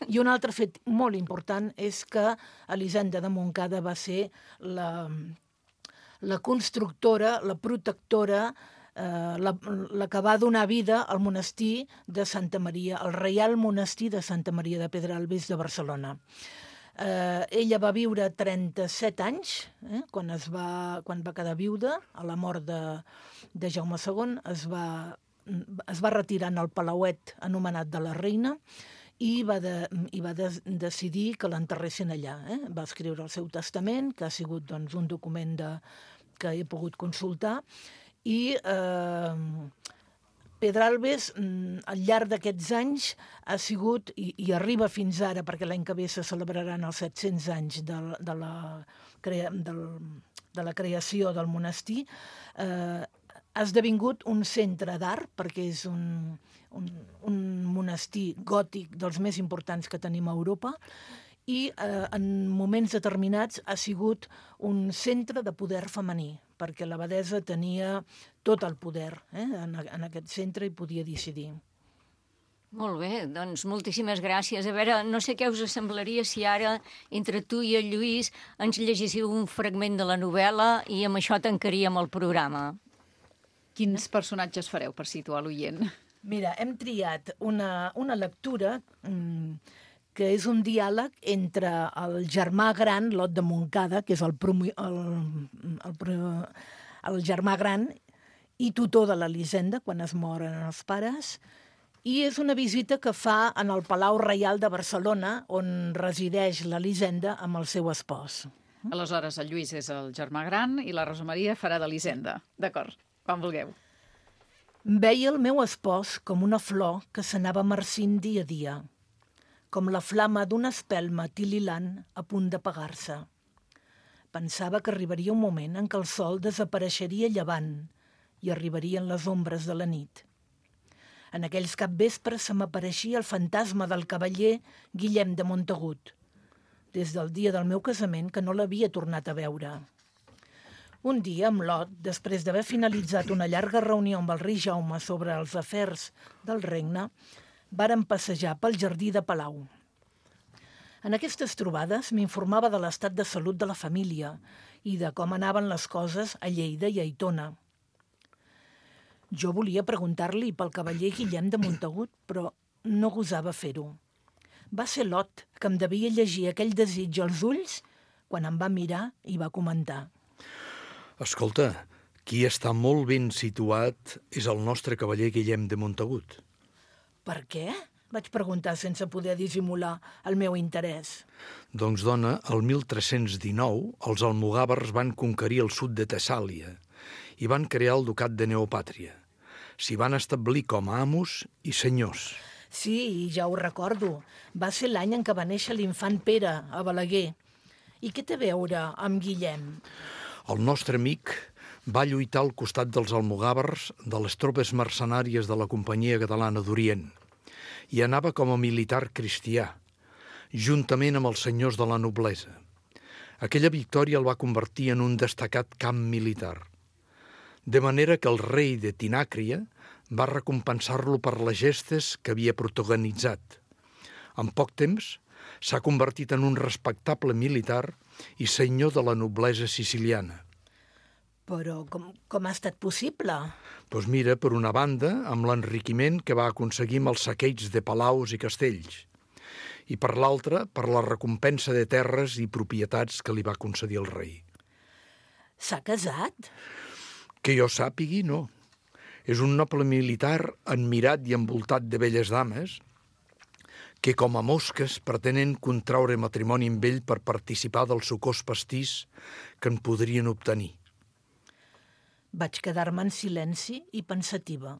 I un altre fet molt important és que Elisenda de Montcada va ser la constructora, la protectora, la que va donar vida al monestir de Santa Maria, al Reial Monestir de Santa Maria de Pedralbes de Barcelona. Ella va viure 37 anys, quan va quedar viuda, a la mort de Jaume II, es va retirar en el palauet anomenat de la Reina, i va decidir que l'enterressin allà. Va escriure el seu testament, que ha sigut un document que he pogut consultar, i Pedralbes, al llarg d'aquests anys, ha sigut, i arriba fins ara, perquè l'any que ve se celebraran els 700 anys de la creació del monestir, ha esdevingut un centre d'art, perquè és un monestir gòtic dels més importants que tenim a Europa, i en moments determinats ha sigut un centre de poder femení, perquè l'abadessa tenia tot el poder en aquest centre i podia decidir. Molt bé, doncs moltíssimes gràcies. A veure, no sé què us semblaria si ara, entre tu i el Lluís, ens llegissiu un fragment de la novel·la i amb això tancaríem el programa. Quins personatges fareu per situar l'oient? Mira, hem triat una lectura que és un diàleg entre el germà gran, Lot de Montcada, que és el germà gran i tutor de l'Elisenda quan es moren els pares, i és una visita que fa en el Palau Reial de Barcelona, on resideix l'Elisenda amb el seu espòs. Aleshores, el Lluís és el germà gran i la Rosa Maria farà d'Elisenda. D'acord, quan vulgueu. Veia el meu espòs com una flor que s'anava marcint dia a dia, com la flama d'una espelma tililant a punt d'apagar-se. Pensava que arribaria un moment en què el sol desapareixeria llevant i arribarien les ombres de la nit. En aquells capvespres se m'apareixia el fantasma del cavaller Guillem de Montagut, des del dia del meu casament que no l'havia tornat a veure. Un dia, amb Lot, després d'haver finalitzat una llarga reunió amb el rei Jaume sobre els afers del regne, vàrem passejar pel jardí de Palau. En aquestes trobades m'informava de l'estat de salut de la família i de com anaven les coses a Lleida i a Aitona. Jo volia preguntar-li pel cavaller Guillem de Montagut, però no gosava fer-ho. Va ser Lot que em devia llegir aquell desig als ulls quan em va mirar i va comentar. Escolta, qui està molt ben situat és el nostre cavaller Guillem de Montagut. Per què? Vaig preguntar sense poder dissimular el meu interès. Doncs, dona, el 1319 els almogàvers van conquerir el sud de Tessàlia i van crear el ducat de Neopàtria. S'hi van establir com a amos i senyors. Sí, ja ho recordo. Va ser l'any en què va néixer l'infant Pere, a Balaguer. I què té a veure amb Guillem? El nostre amic va lluitar al costat dels almogàvers de les tropes mercenàries de la Companyia Catalana d'Orient i anava com a militar cristià, juntament amb els senyors de la noblesa. Aquella victòria el va convertir en un destacat camp militar, de manera que el rei de Tinàcria va recompensar-lo per les gestes que havia protagonitzat. En poc temps s'ha convertit en un respectable militar i senyor de la noblesa siciliana. Però com ha estat possible? Doncs mira, per una banda, amb l'enriquiment que va aconseguir amb els saqueigs de palaus i castells, i per l'altra, per la recompensa de terres i propietats que li va concedir el rei. S'ha casat? Que jo sàpigui, no. És un noble militar admirat i envoltat de belles dames que, com a mosques, pretenen contraure matrimoni amb ell per participar del sucós pastís que en podrien obtenir. Vaig quedar-me en silenci i pensativa.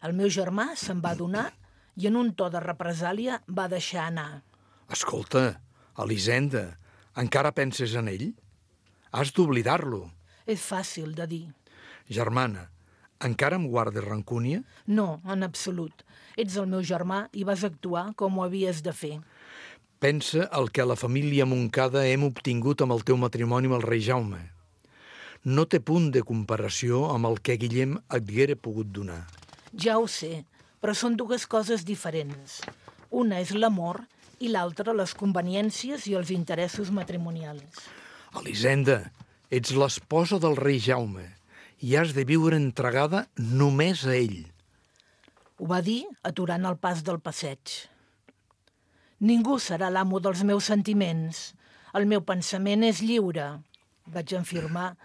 El meu germà se'n va adonar i en un to de represàlia va deixar anar. Escolta, Elisenda, encara penses en ell? Has d'oblidar-lo. És fàcil de dir. Germana, encara em guardes rancúnia? No, en absolut. Ets el meu germà i vas actuar com ho havies de fer. Pensa el que a la família Montcada hem obtingut amb el teu matrimoni amb el rei Jaume. No té punt de comparació amb el que Guillem et haguera pogut donar. Ja ho sé, però són dues coses diferents. Una és l'amor i l'altra les conveniències i els interessos matrimonials. Elisenda, ets l'esposa del rei Jaume i has de viure entregada només a ell. Ho va dir aturant el pas del passeig. Ningú serà l'amo dels meus sentiments. El meu pensament és lliure, vaig afirmar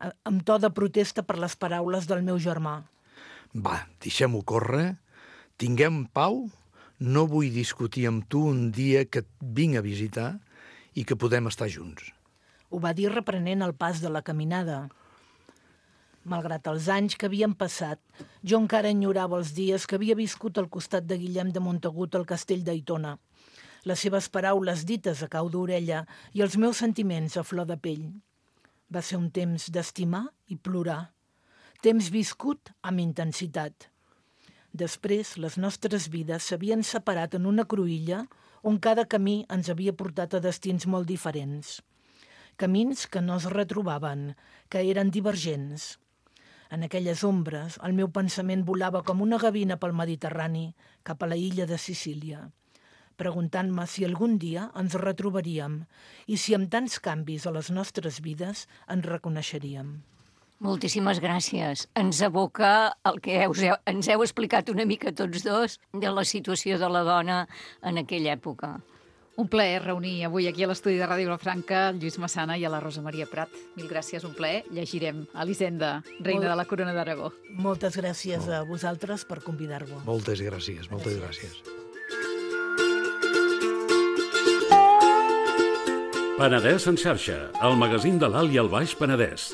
amb to de protesta per les paraules del meu germà. Va, deixem-ho córrer, tinguem pau, no vull discutir amb tu un dia que et vinc a visitar i que podem estar junts. Ho va dir reprenent el pas de la caminada. Malgrat els anys que havien passat, jo encara enyorava els dies que havia viscut al costat de Guillem de Montagut al castell d'Aitona, les seves paraules dites a cau d'orella i els meus sentiments a flor de pell. Va ser un temps d'estimar i plorar, temps viscut amb intensitat. Després, les nostres vides s'havien separat en una cruïlla on cada camí ens havia portat a destins molt diferents. Camins que no es retrobaven, que eren divergents. En aquelles ombres, el meu pensament volava com una gavina pel Mediterrani cap a la illa de Sicília, preguntant-me si algun dia ens retrobaríem i si amb tants canvis a les nostres vides ens reconeixeríem. Moltíssimes gràcies. Ens aboca el que ens heu explicat una mica tots dos de la situació de la dona en aquella època. Un plaer reunir avui aquí a l'estudi de Ràdio Vilafranca el Lluís Massana i a la Rosa Maria Prat. Mil gràcies, un plaer. Llegirem Elisenda, reina de la Corona d'Aragó. Moltes gràcies a vosaltres per convidar-vos. Moltes gràcies, moltes gràcies. Penedès en xarxa, el magazín de l'Alt i el Baix Penedès.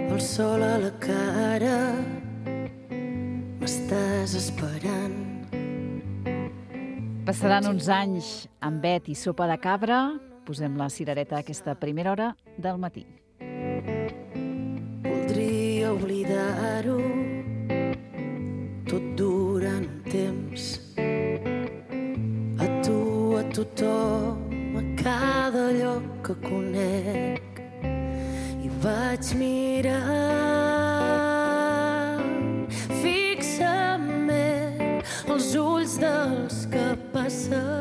El sol a la cara, m'estàs esperant. Passaran uns anys amb vet i sopa de cabra. Posem la cirereta a aquesta primera hora del matí. Voldria oblidar-ho tot durant un temps. A tu, a tothom, a cada lloc que conec. I vaig mirar fixament els ulls dels que passen